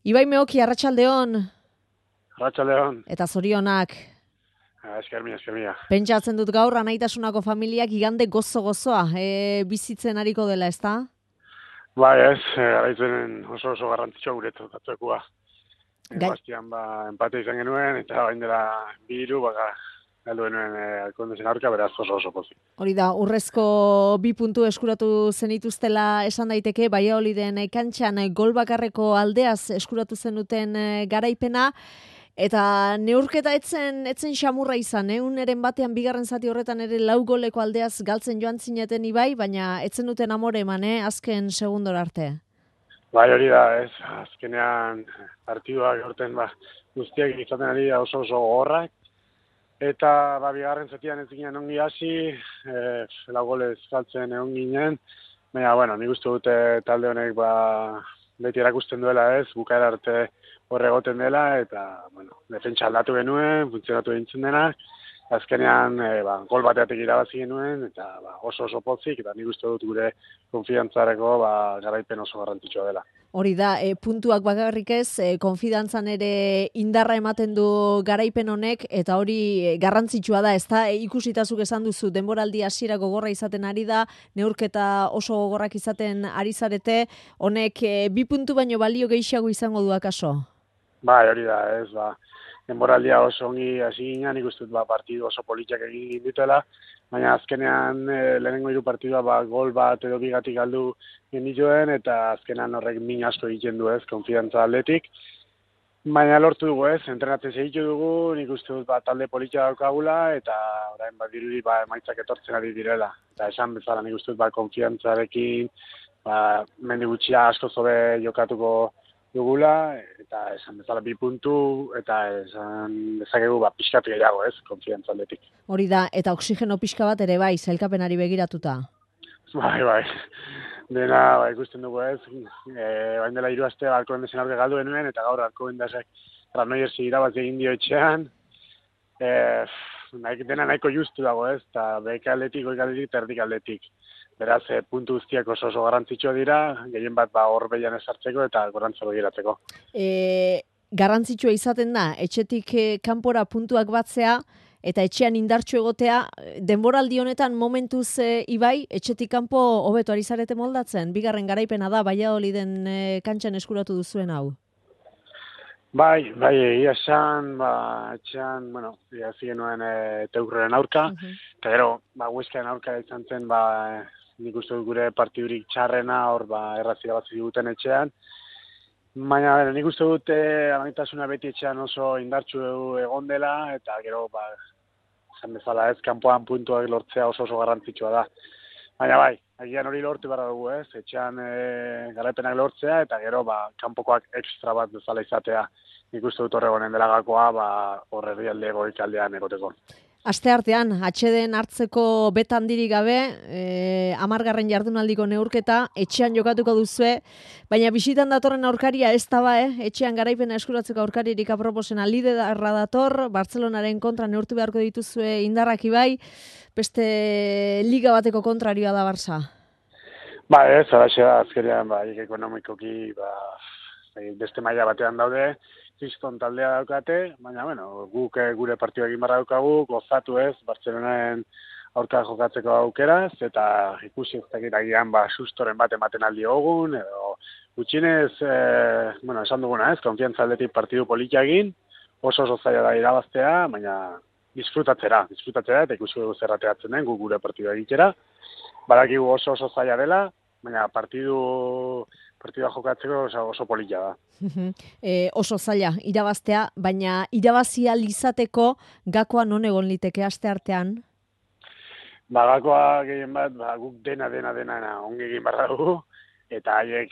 Ibai Meoki, arratsaldeon. Arratsaldeon. Eta zorionak. Esker mila. Pentsatzen dut gaur Anaitasunako familiak igande gozo-gozoa bizitzen ariko dela, ezta? Bai ez, garaitzenen oso garrantzitsua guretzat atzoekua. Bastian empate izan genuen, eta bain dela 2-3 galdu genuen Alkondezen aurka, beraz oso pozik. Hori da, urrezko 2 puntu eskuratu zenituztela esan daiteke, Valladoliden kantxan gol bakarreko aldeaz eskuratu zenuten garaipena, eta neurketa etzen xamurra izan, uneren batean bigarren zati horretan ere 4 goleko aldeaz galtzen joan zineten Ibai, baina etzen duten amore eman, azken segundora arte. Bai, hori da, ez, azkenean partiduak horten guztiak izaten ari da oso gogorrak, eta bigarren zatian ez ginen ongi hasi, 4 golez galtzen egon ginen, baina, nik uste dute talde honek beti erakusten duela ez, bukaera arte horre egoten dela, eta, defentsa aldatu genuen, funtzionatu egintzen denak, azkenean gol bateatek irabazi genuen, eta oso pozik, eta nik uste dut gure konfiantzareko garaipen oso garrantzitsua dela. Hori da, puntuak bakarrik ez, konfidantzan ere indarra ematen du garaipen honek, eta hori garrantzitsua da, ezta ikusitazuk esan duzu, denboraldi hasiera gogorra izaten ari da, neurketa oso gogorrak izaten ari zarete, honek 2 puntu baino balio gehiago izango du akaso? Bai, hori da, ez, denboraldia oso ongi hasi ginen, nik uste dut partidu oso politiak egin ditela, baina azkenean lehenengo 3 partidua gol bat edo bigatik galdu genituen, eta azkenean horrek min asko egiten du ez, konfidantza aldetik. Baina lortu dugu ez, entrenatzen segitu dugu, nik uste dut talde politia daukagula, eta orain dirudi emaitzak etortzen ari direla. Eta esan bezala nik uste dut konfiantzarekin, mendi gutxia asko zobe jokatuko dugula, eta esan bezala 2 puntu, eta esan dezakegu pixkat gehiago ez, konfiantza aldetik. Hori da, eta oxigeno pixka bat ere bai, sailkapenari begiratuta. Bai. Dena ikusten dugu ez, bain dela 3 aste Alkondezen aurka galdu genuen, eta gaur Alkobendazek Granollers irabazi egin dio etxean. Dena nahiko justu dago ez, eta beka aldetik, goik aldetik, eta erdik aldetik. Beraz, puntu guztiak oso garrantzitsua dira, gehien bat hor behian esartzeko eta gorantza begiratzeko. Garrantzitsua izaten da, etxetik kanpora puntuak batzea, eta etxean indartsu egotea, denboraldi honetan momentuz Ibai, etxetik kanpo hobeto ari zarete moldatzen, bigarren garaipena da, Valladoliden kantxan eskuratu duzuen hau. Bai, egia esan, etxean, hasi genuen Teurreren aurka, eta gero, Huescaren aurka izan zen, nik uste dut gure partidurik txarrena, hor errazira bat ziguten etxean. Baina, nik uste dut Anaitasuna beti etxean oso indartsu egon dela, eta gero, esan bezala ez, kanpoan puntuak lortzea oso garrantzitsua da. Baina agian hori lortu behar dugu ez, etxean garaipenak lortzea, eta gero, kanpokoak ekstra bat bezala izatea. Nik uste dut horregonen dela gakoa, hor herrialde goikaldean egoteko. Asteartean, atxeden hartzeko betan handirik gabe, 10. jardunaldiko neurketa, etxean jokatuko duzue, baina bisitan datorren aurkaria ez da etxean garaipena eskuratzeko aurkaririk aproposena liderra dator, Bartzelonaren kontra neurtu beharko dituzue indarrak Ibai, beste liga bateko kontrarioa da Barça. Ez, haraxe da, azkenean, ekonomikoki, beste maila batean daude, Kriston taldea daukate, baina, guk gure partidua egin barra daukagu, gozatu ez, Bartzelonaren aurka jokatzeko aukeraz, eta ikusi ez dakit agian sustoren bat ematen aldi hogun, edo gutxinez, esan duguna ez, konfiantza aldetik partidu politia egin, oso zaila da irabaztea, baina disfrutatzera, eta ikusi dugu zerrateatzen den, guk gure partidua egitera, badakigu oso zaila dela, baina partidua jokatzeko oso politia da. Oso zaila irabaztea, baina irabazia izateko gakoa non egon liteke asteartean? Gakoa gehien bat, guk dena ongi egin barra dugu, eta haiek,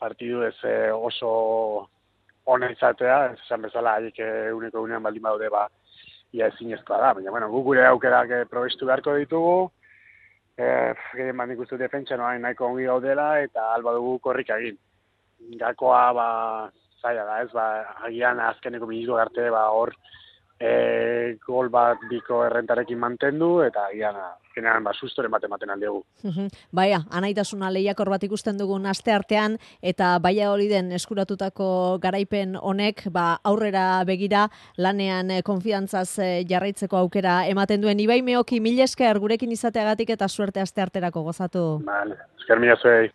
partidu ez oso ona izatea, esan bezala haiek uneko unean baldin badaude, ia ezinezkoa da, baina, guk gure aukerak probestu beharko ditugu, gehien bat nik uste defentsa nahiko ongi gaudela, eta alba dugu korrika egin. Gakoa zaila da ez, agian azkeneko minutu arte hor gol bat biko errentarekin mantendu, eta gian, generan, sustoren bat ematen aldegu. Baia, anaitasuna lehiakor bat ikusten dugun aste artean, eta Valladoliden eskuratutako garaipen honek, aurrera begira, lanean konfiantzaz jarraitzeko aukera ematen duen. Ibai Meoki, mila esker gurekin izateagatik eta suerte aste arterako gozatu. Vale, esker mila zuei.